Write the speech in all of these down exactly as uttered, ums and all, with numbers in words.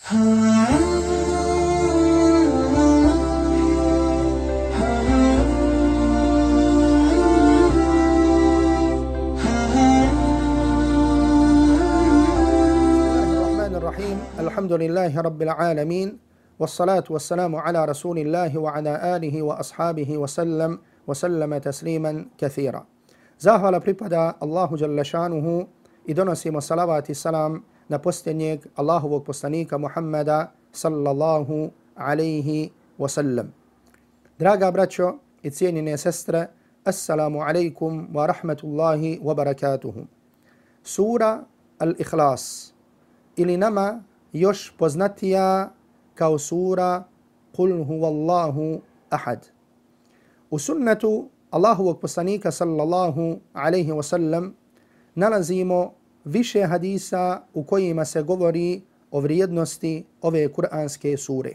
الحمد لله رب العالمين والصلاة والسلام على رسول الله وعلى آله وأصحابه وسلم وسلم تسليما كثيرا. Zahvala pripada Allahu dželle šanuhu i donosimo salavat i salam na posljednjeg Allahovog poslanika Muhammeda sallallahu alaihi wa sallam. Draga braćo i cijenjene sestre, assalamu alaikum wa rahmatullahi wa barakatuhu. Sura Al-Ikhlas ili nama još poznatija kao sura Qul huvallahu ahad. U sunnetu Allahovog poslanika sallallahu alaihi wa sallam nalazimo više hadisa u kojima se govori o vrijednosti ove kuranske sure.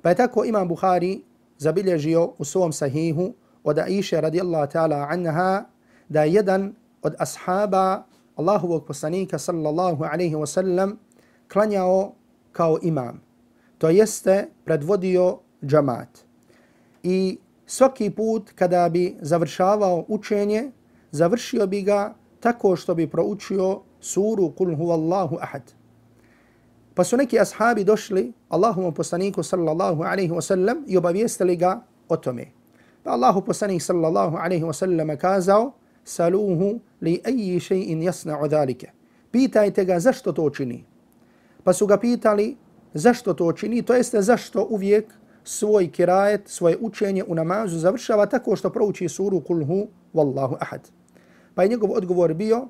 Pa je tako Imam Buhari zabilježio u svom sahihu od Aisha radijallahu ta'ala anha da je jedan od ashaba Allahovog poslanika sallallahu alaihi wa sallam klanjao kao imam. To jeste predvodio džamat. I svaki put kada bi završavao učenje, završio bi ga tako što bi proučio suru Qul huvallahu ahad. Pa su neki ashabi došli Allahovom poslaniku sallallahu alaihi wa sallam i obavijestili ga o tome. Pa Allahu poslanik sallallahu alaihi wa sallam kazao: Saluhu li ayi shay'in yasna'u dhalika. Pitajte ga zašto to čini. Pa su ga pitali zašto to čini, to jeste zašto uvijek svoj kirajet, svoje učenje u namazu završava tako što prouči suru Qul hu wallahu ahad. Pa je njegov odgovor bio: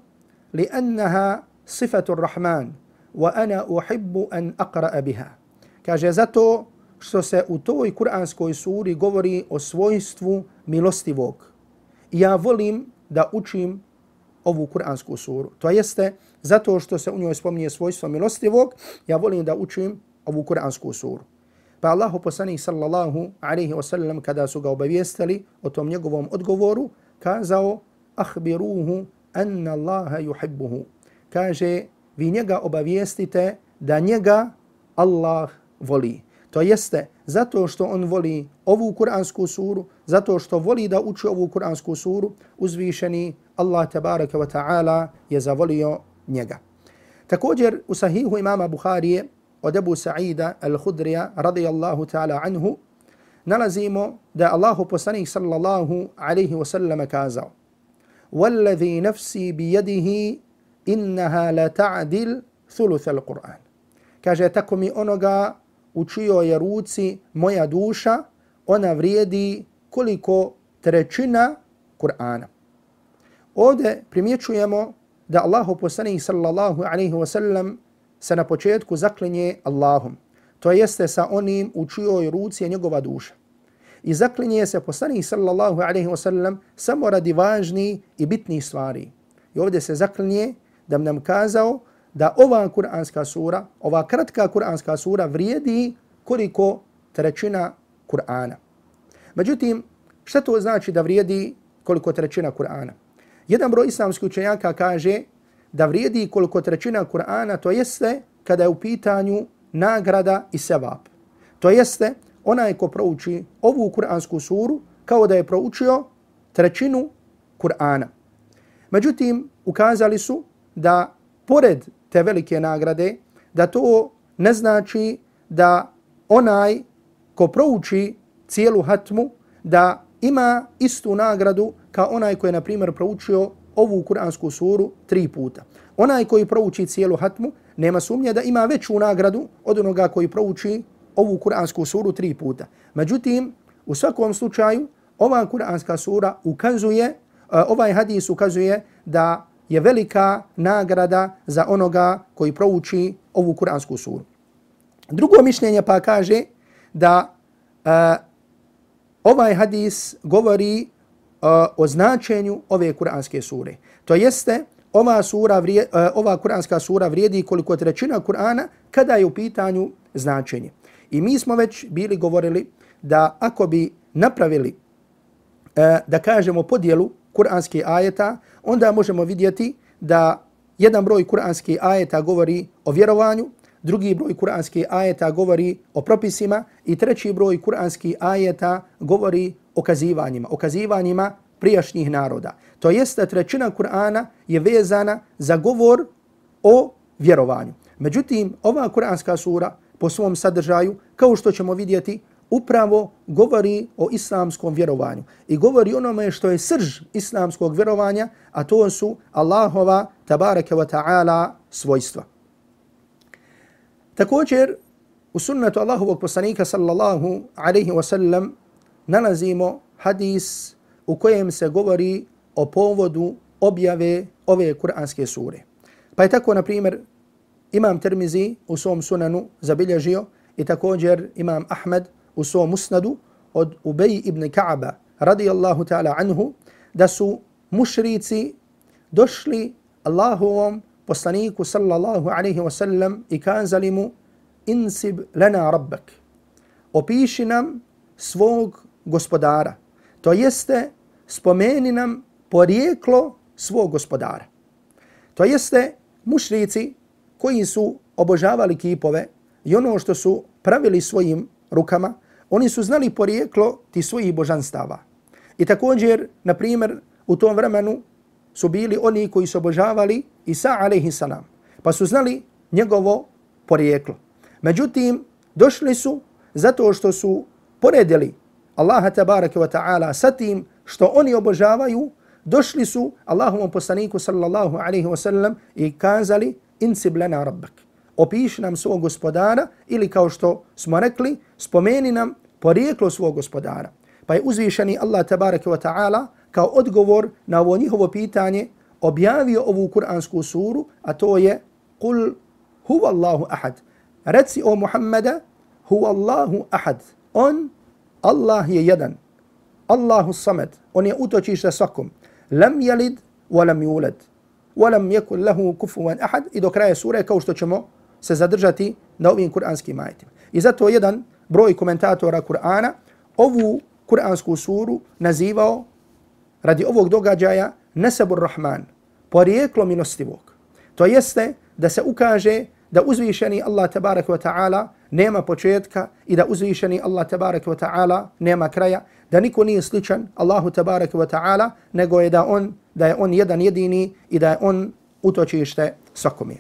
li annaha sifatu rahman wa ana uhibbu an aqra'a biha. Kaže zato što se u toj kuranskoj suri govori o svojstvu milostivog. I ja volim da učim ovu kuransku suru. To jeste zato što se u njoj spominje svojstvo milostivog, ja volim da učim ovu kuransku suru. Pa Allahu poslanik sallallahu alaihi wa sallam kada su ga obavijestili o tom njegovom odgovoru, kazao: ahbiruhu anna Allaha yuhibbuhu. Kaže, vi njega obavijestite da njega Allah voli. To jeste zato što on voli ovu kuransku suru, zato što voli da uči ovu kuransku suru, uzvišeni Allah tabaraka wa ta'ala je zavolio njega. Također u sahihu imama Buharije od Ebu Sa'ida al-Khudrija radijallahu ta'ala anhu nalazimo da Allahu poslanik sallallahu alaihi wa sallam kazao: Walladhi nafsi bijedihi innaha la ta'dil thuluth al-Qur'an. Kaže, tako mi onoga u čijoj je ruci moja duša, ona vrijedi koliko trećina Kur'ana. Ovdje primjećujemo da Allahu poslanik sallallahu alaihi wa sallam se na početku zaklinje Allahom. To jeste sa onim u čijoj ruci je njegova duša. I zaklinje se poslanik sallallahu alaihi wa sallam samo radi važnih i bitnih stvari. I ovdje se zaklinje da nam kazao da ova kuranska sura, ova kratka kuranska sura vrijedi koliko trećina Kur'ana. Međutim, šta to znači da vrijedi koliko trećina Kur'ana? Jedan broj islamskih učenjaka kaže da vrijedi koliko trećina Kur'ana, to jeste kada je u pitanju nagrada i sevap. To jeste onaj ko prouči ovu kuransku suru kao da je proučio trećinu Kur'ana. Međutim, ukazali su da pored te velike nagrade, da to ne znači da onaj ko prouči cijelu hatmu, da ima istu nagradu kao onaj koji je, na primjer, proučio ovu kuransku suru tri puta. Onaj koji prouči cijelu hatmu nema sumnje da ima veću nagradu od onoga koji prouči ovu kuransku suru tri puta. Međutim, u svakom slučaju, ova kuranska sura ukazuje, ovaj hadis ukazuje da je velika nagrada za onoga koji prouči ovu kuransku suru. Drugo mišljenje pa kaže da uh, ovaj hadis govori uh, o značenju ove kuranske sure. To jeste, ova, sura vrije, uh, ova kuranska sura vrijedi koliko trećina Kur'ana kada je u pitanju značenje. I mi smo već bili govorili da ako bi napravili, uh, da kažemo, podjelu kuranskih ajeta, onda možemo vidjeti da jedan broj kuranskih ajeta govori o vjerovanju, drugi broj kuranskih ajeta govori o propisima i treći broj kuranskih ajeta govori o kazivanjima, o kazivanjima prijašnjih naroda. To jeste trećina Kur'ana je vezana za govor o vjerovanju. Međutim, ova kuranska sura po svom sadržaju, kao što ćemo vidjeti, upravo govori o islamskom vjerovanju i govori onome što je srž islamskog vjerovanja, a to su Allahova tabaraka wa ta'ala svojstva. Također, u sunnetu Allahovog poslanika sallallahu alaihi wa sallam nalazimo hadis u kojem se govori o povodu objave ove kuranske sure. Pa je tako, na primjer, Imam Tirmizi u svom sunanu zabilježio i također Imam Ahmed u svom musnadu od Ubej ibn Ka'aba radijallahu ta'ala anhu da su mušrici došli Allahovom poslaniku sallallahu alaihi wa sallam i kazali mu insib lana rabbak. Opiši nam svog gospodara. To jeste spomeni nam porijeklo svog gospodara. To jeste mušrici koji su obožavali kipove i ono što su pravili svojim rukama, oni su znali porijeklo ti svojih božanstava. I također, na primjer, u tom vremenu su bili oni koji su obožavali Isa alaihi salam, pa su znali njegovo porijeklo. Međutim, došli su zato što su poredili Allaha tabaraka wa ta'ala sa tim što oni obožavaju, došli su Allahovom poslaniku sallallahu alaihi wa sallam i kazali insib lana rabbak. Opiši nam svog gospodara ili kao što smo rekli, spomeni nam porijeklo svog gospodara. Pa je uzvišeni Allah tabaraka wa ta'ala kao odgovor na ovo njihovo pitanje objavio ovu kuransku suru, a to je Kul huwa Allahu ahad. Reci o Muhammeda, huwa Allahu ahad. On, Allah je jedan. Allahu samad. On je utočište svakom. Lam yalid wa lam yulad. Wa lam yakun lahu kufuwan ahad. I do kraja sure, kao što ćemo se zadržati na ovim kuranskim ajetima. I zato jedan broj komentatora Kur'ana ovu kuransku suru nazivao radi ovog događaja Nasabur Rahman, porijeklo milostivog. To jeste da se ukaže da uzvišeni Allah tabaraka wa ta'ala nema početka i da uzvišeni Allah tabaraka wa ta'ala nema kraja, da niko nije sličan Allahu tabaraka wa ta'ala, nego je da on da je on jedan jedini i da je on utočište svakome.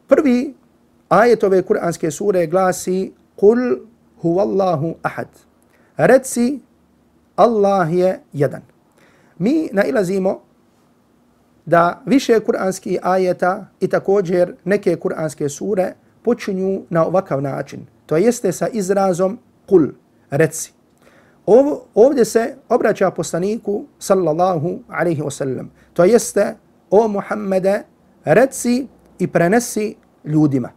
Prvi ajet ove kuranske sure glasi Kul huwallahu ahad. Reci Allah je jedan. Mi nailazimo da više kuranskih ajeta i također neke kuranske sure počinju na ovakav način. To jeste sa izrazom kul, reci. Ovo, ovdje se obraća poslaniku sallallahu alaihi wasallam. To jeste o Muhammede, reci i prenesi ljudima.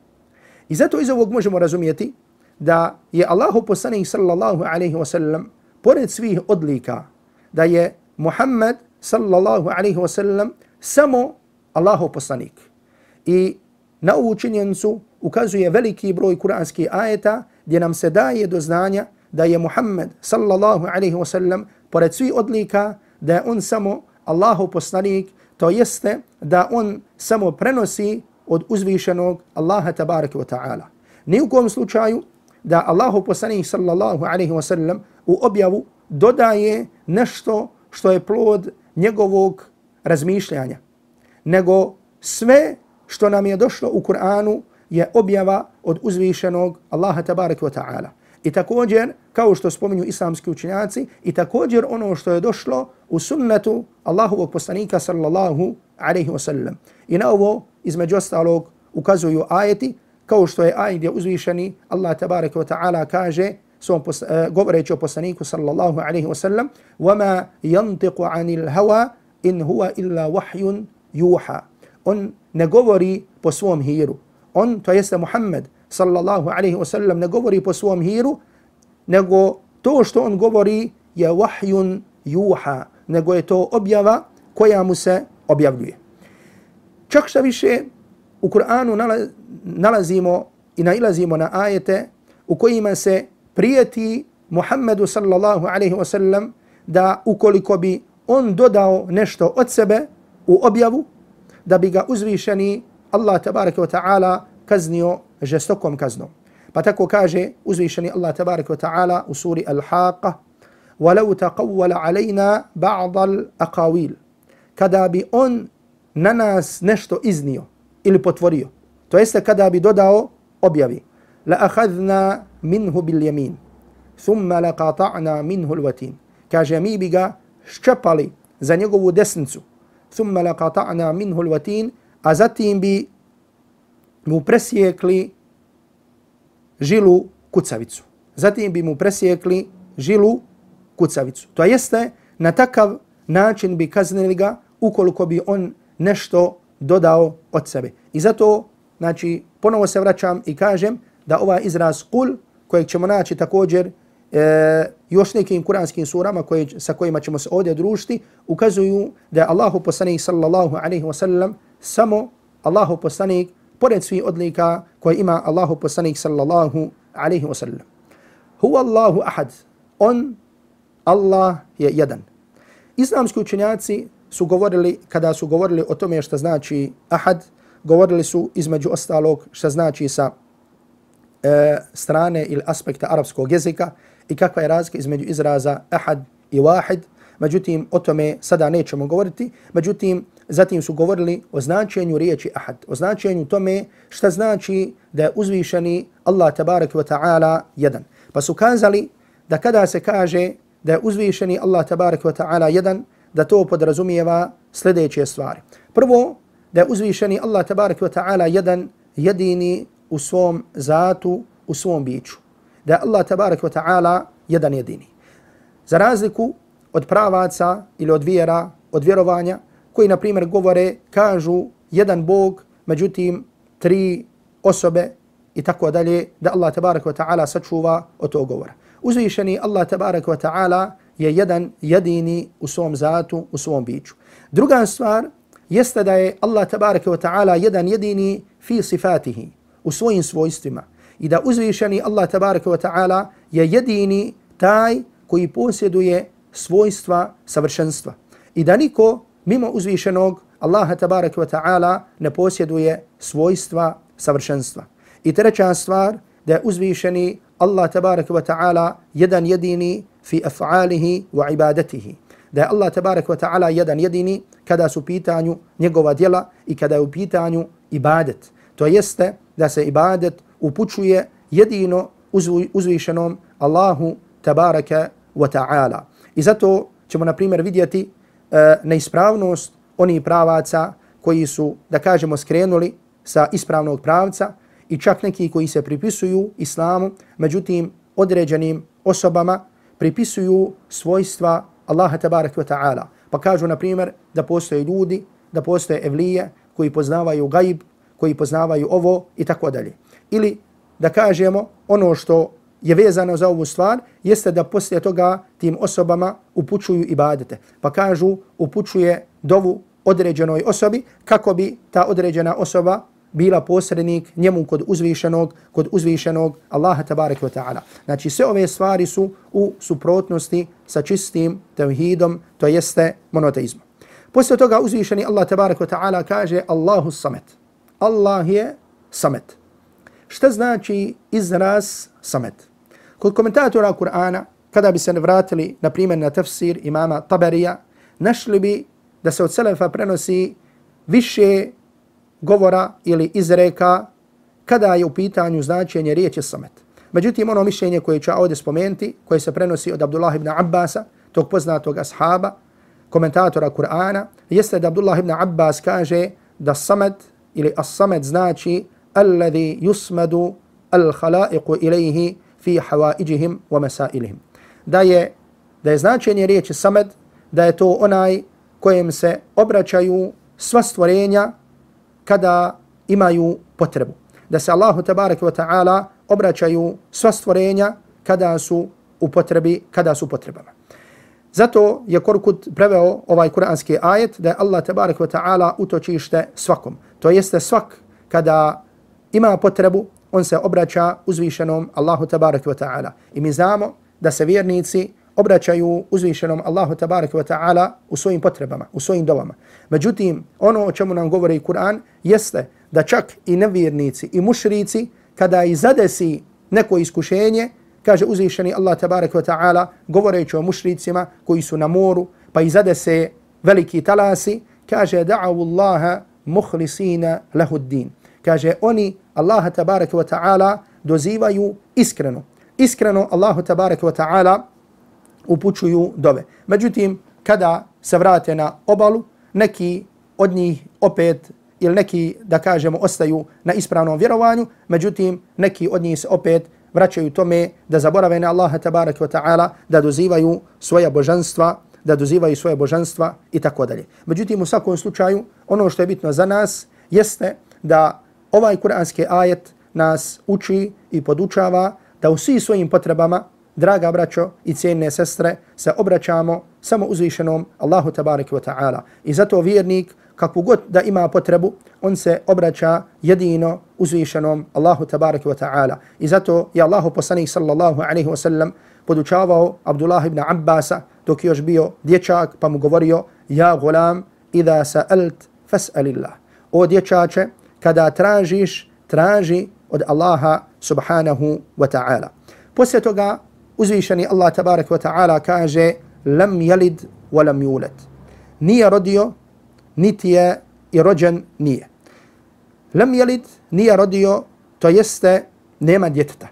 I zato iz ovog možemo razumijeti da je Allahu poslanik sallallahu alaihi wasallam pored svih odlika, da je Muhammed sallallahu alaihi wasallam samo Allahov poslanik. I na ovu činjenicu ukazuje veliki broj kuranskih ajeta gdje nam se daje do znanja da je Muhammed sallallahu alaihi wasallam pored svih odlika, da je on samo Allahov poslanik, to jeste da on samo prenosi od uzvišenog Allaha tabaraka wa ta'ala. Ni u kom slučaju da Allahov poslanik sallallahu alaihi wasallam u objavu dodaje nešto što je plod njegovog razmišljanja, nego sve što nam je došlo u Kur'anu je objava od uzvišenog Allaha tabaraka wa ta'ala. I također, kao što spominju islamski učenjaci, i također ono što je došlo u sunnetu Allahovog poslanika sallallahu alaihi wasallam. I na ovo, između ostalog, ukazuju ajeti, kao što je ajet gdje uzvišeni Allah tabaraka wa ta'ala kaže, svom uh, govoreći o poslaniku sallallahu alaihi wasallam, وَمَا يَنْتِقُ عَنِ الْهَوَا in huwa illa wahyun yuha. On ne govori po svom hiru. On, to jeste Muhammed sallallahu alaihi wasallam, ne govori po svom hiru, nego to što on govori je wahyun yuha, nego je to objava koja mu se objavljuje. Čak šta više, u Kur'anu nalazimo i nailazimo na ajete u kojima se prijeti Muhammedu sallallahu alaihi wasallam da ukoliko bi on dodao nešto od sebe u objavu, da bi ga uzvišeni Allah tabaraka wa ta'ala kaznio žestokom kaznom. Pa tako kaže uzvišeni Allah tabaraka wa ta'ala u suri Al-Haqqa: وَلَوْ تَقَوَّلَ عَلَيْنَا بَعْضَ الْأَقَاوِيلِ. Kada bi on na nas nešto iznio ili potvorio, to jeste kada bi dodao objavi: لَأَخَذْنَا مِنْهُ بِالْيَمِينِ ثُمَّ لَقَطَعْنَا مِنْهُ الْوَتِينِ. Kaže, mi bi ga ščepali za njegovu desnicu, ثُمَّ لَقَطَعْنَا مِنْهُ الْوَتِينِ, a zatim bi mu presjekli žilu kucavicu. Zatim bi mu presjekli žilu kucavicu. To jeste, na takav način bi kaznili ga ukoliko bi on nešto dodao od sebe. I zato, znači, ponovo se vraćam i kažem da ovaj izraz kul, kojeg ćemo naći također e, još nekim kuranskim surama koje, sa kojima ćemo se ovdje družiti, ukazuju da je Allahu poslanik sallallahu alaihi wa sallam samo Allahu poslanik pored svih odlika koje ima Allahu poslanik sallallahu alaihi wa sallam. Huwa Allahu ahad. On, Allah je jedan. Islamski učenjaci su govorili, kada su govorili o tome što znači ahad, govorili su između ostalog što znači sa e, strane ili aspekta arapskog jezika i kakva je razlika između izraza ahad i wahid. Međutim, o tome sada nećemo govoriti. Međutim, zatim su govorili o značenju riječi ahad, o značenju tome šta znači da je uzvišeni Allah tabaraka wa ta'ala jedan. Pa su kazali da kada se kaže da je uzvišeni Allah tabaraka wa ta'ala jedan, da to podrazumijeva sljedeće stvari. Prvo, da je uzvišeni Allah tabaraka wa ta'ala jedan, jedini u svom zatu, u svom biću. Da je Allah tabaraka wa ta'ala jedan jedini. Za razliku od pravaca ili od vjera, od vjerovanja, koji, na primjer, govore, kažu jedan Bog, međutim, tri osobe i tako dalje, da Allah tabaraka wa ta'ala sačuva od tog govora. Uzvišeni Allah tabaraka wa ta'ala je jedan jedini u svom zatu, u svom biću. Druga stvar jeste da je Allah tabaraka wa ta'ala jedan jedini fi sifatihi, u svojim svojstvima. I da uzvišeni Allah tabaraka wa ta'ala je jedini taj koji posjeduje svojstva savršenstva. I da niko mimo uzvišenog Allaha tabaraka wa ta'ala ne posjeduje svojstva savršenstva. I treća stvar, da je uzvišeni Allah tabaraka wa ta'ala jedan jedini fi af'alihi wa ibadatihi. Da je Allah tabaraka wa ta'ala jedan jedini kada su u pitanju njegova djela i kada je u pitanju ibadet. To jeste da se ibadet upućuje jedino uzvišenom Allahu tabaraka wa ta'ala. I zato ćemo, na primjer, vidjeti e, neispravnost onih pravaca koji su, da kažemo, skrenuli sa ispravnog pravca i čak neki koji se pripisuju islamu, međutim određenim osobama pripisuju svojstva Allaha tabaraka wa ta'ala. Pa kažu, na primjer, da postoje ljudi, da postoje evlije koji poznavaju gajb, koji poznavaju ovo i tako dalje. Ili da kažemo ono što je vezano za ovu stvar, jeste da poslije toga tim osobama upućuju ibadete. Pa kažu, upućuje dovu određenoj osobi kako bi ta određena osoba bila posrednik njemu kod uzvišenog, kod uzvišenog Allaha tabaraka wa ta'ala. Znači, sve ove stvari su u suprotnosti sa čistim tevhidom, to jeste monoteizmom. Poslije toga uzvišeni Allah tabaraka wa ta'ala kaže Allahu samet. Allah je samet. Šta znači izraz samet? Kod komentatora Kur'ana, kada bi se vratili, na primjer, na tafsir imama Tabarija, našli bi da se od selefa prenosi više govora ili izreka kada je u pitanju značenje riječi samet. Međutim, ono mišljenje koje ću ovdje spomenuti, koje se prenosi od Abdullah ibn Abbasa, tog poznatog ashaba, komentatora Kur'ana, jeste da Abdullah ibn Abbas kaže da samet ili as-samet znači alladhi yusmadu al-khalaiqu ilayhi fi hawaijihim wa masailihim. Da je, da je značenje riječi samed, da je to onaj kojem se obraćaju sva stvorenja kada imaju potrebu. Da se Allahu tabaraka wa ta'ala obraćaju sva stvorenja kada su u potrebi, kada su potrebama. Zato je Korkut preveo ovaj kuranski ajet da je Allah tabaraka wa ta'ala utočište svakom. To jeste svak kada ima potrebu, on se obraća uzvišenom Allahu tabaraka wa ta'ala. I mi znamo da se vjernici obraćaju uzvišenom Allahu tabaraka wa ta'ala u svojim potrebama, u svojim dovama. Međutim, ono o čemu nam govori Kur'an jeste da čak i nevjernici i mušrici kada i zadesi neko iskušenje, kaže uzvišeni Allah tabaraka wa ta'ala govoreći o mušricima koji su na moru pa i zadese veliki talasi, kaže da'avu Allaha muhlisina lahu din. Kaže oni Allaha tabaraka wa ta'ala dozivaju iskreno. Iskreno Allahu tabaraka wa ta'ala upućuju dove. Međutim, kada se vrate na obalu, neki od njih opet ili neki, da kažemo, ostaju na ispravnom vjerovanju, međutim, neki od njih se opet vraćaju tome da zaborave na Allaha tabaraka wa ta'ala, da dozivaju svoja božanstva, da dozivaju svoje božanstva i tako dalje. Međutim, u svakom slučaju, ono što je bitno za nas jeste da ovaj kuranski ajet nas uči i podučava da u svim svojim potrebama, draga braćo i cijene sestre, se obraćamo samo uzvišenom Allahu tabaraka wa ta'ala. I zato vjernik, kakvu god da ima potrebu, on se obraća jedino uzvišenom Allahu tabaraka wa ta'ala. I zato je Allahu poslanik sallallahu alaihi wa sallam podučavao Abdullah ibn Abbasa dok je još bio dječak, pa mu govorio: ja gulam, idha sa'alt fas'alillah. O dječače, kada tražiš, traži od Allaha subhanahu wa ta'ala. Poslije toga uzvišeni Allah tabaraka wa ta'ala kaže: lam yalid wa lam yulad. Nije rodio, niti je i rođen nije. Lam yalid, nije rodio, to jeste nema djeteta.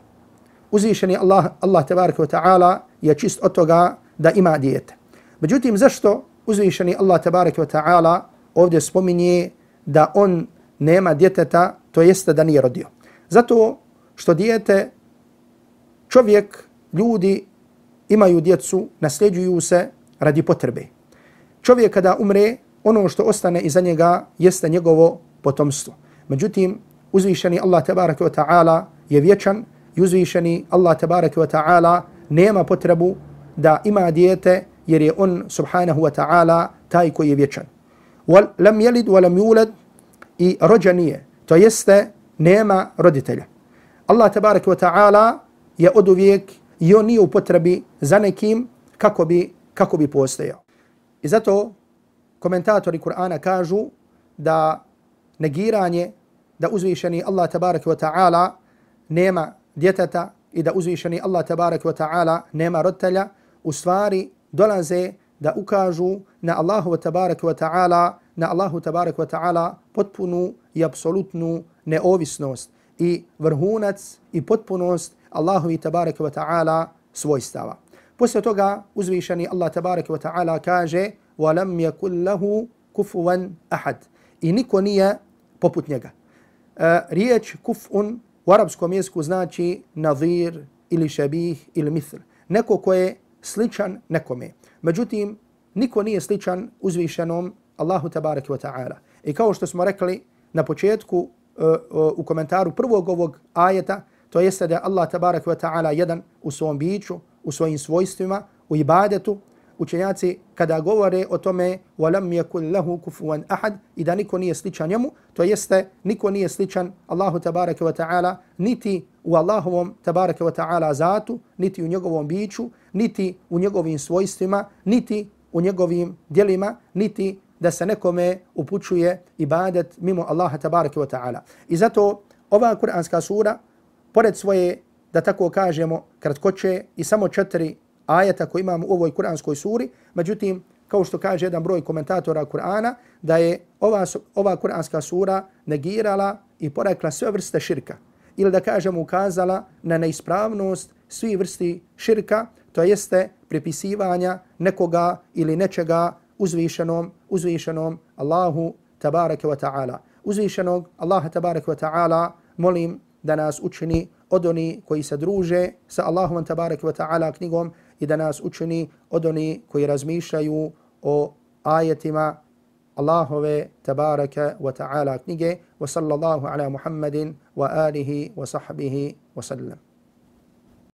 Uzvišeni Allah, Allah tabaraka wa ta'ala je čist od toga da ima dijete. Međutim, zašto uzvišeni Allah tabaraka wa ta'ala ovdje spominje da on nema djeteta, to jeste da nije rodio? Zato što dijete, čovjek, ljudi imaju djecu, nasljeđuju se radi potrebe. Čovjek kada umre, ono što ostane iza njega jeste njegovo potomstvo. Međutim, uzvišeni Allah tabaraka wa ta'ala je vječan i uzvišeni Allah tabaraka wa ta'ala nema potrebu da ima dijete jer je on subhanahu wa ta'ala taj koji je vječan. Lam yalid wa lam yulad, i rođen nije, to jeste nema roditelja. Allah tabaraka wa ta'ala je oduvijek i on nije u potrebi za nekim kako bi, kako bi postojao. I zato komentatori Kur'ana kažu da negiranje da uzvišeni Allah tabaraka wa ta'ala nema djeteta i da uzvišeni Allah tabaraka wa ta'ala nema roditelja, u stvari dolaze da ukažu na Allahu tabaraka wa ta'ala, na Allahu tabaraka wa ta'ala potpunu i apsolutnu neovisnost i vrhunac i potpunost Allahovi tabaraka wa ta'ala svojstava. Poslije toga uzvišeni Allah tabaraka wa ta'ala kaže: وَلَمْ يَكُلْ لَهُ كُفُوًا أَحَدٍ. I niko nije poput njega. E, riječ kuf'un u arapskom jeziku znači nadhir ili šabih ili mithl. Neko ko je sličan nekome. Međutim, niko nije sličan uzvišenom Allahu tabaraka wa ta'ala. I kao što smo rekli na početku uh, uh, u komentaru prvog ovog ajeta, to jeste da je Allah tabaraka wa ta'ala jedan u svom biću, u svojim svojstvima, u ibadetu. Učenjaci kada govore o tome وَلَمْ يَكُلْ لَهُ كُفُوًا أَحَدٍ, i da niko nije sličan njemu, to jeste niko nije sličan Allahu tabaraka wa ta'ala niti u Allahovom tabaraka wa ta'ala zatu, niti u njegovom biću, niti u njegovim svojstvima, niti u njegovim djelima, niti da se nekome upućuje ibadet mimo Allaha tabaraka wa ta'ala. I zato ova kuranska sura, pored svoje, da tako kažemo, kratkoće i samo četiri ajeta koje imamo u ovoj kuranskoj suri, međutim, kao što kaže jedan broj komentatora Kur'ana, da je ova, ova kuranska sura negirala i porekla sve vrste širka. Ili da kažemo ukazala na neispravnost svi vrsti širka, to jeste pripisivanja nekoga ili nečega uzvišenom, uzvišenom Allahu tabaraka wa ta'ala. Uzvišenog Allaha tabaraka wa ta'ala molim da nas učini od oni koji se druže sa Allahom tabaraka wa ta'ala knjigom i da nas učini od oni koji razmišljaju o ajetima Allahove tabaraka wa ta'ala knjige. Wa sallallahu ala Muhammadin wa alihi wa sahbihi wa sallam.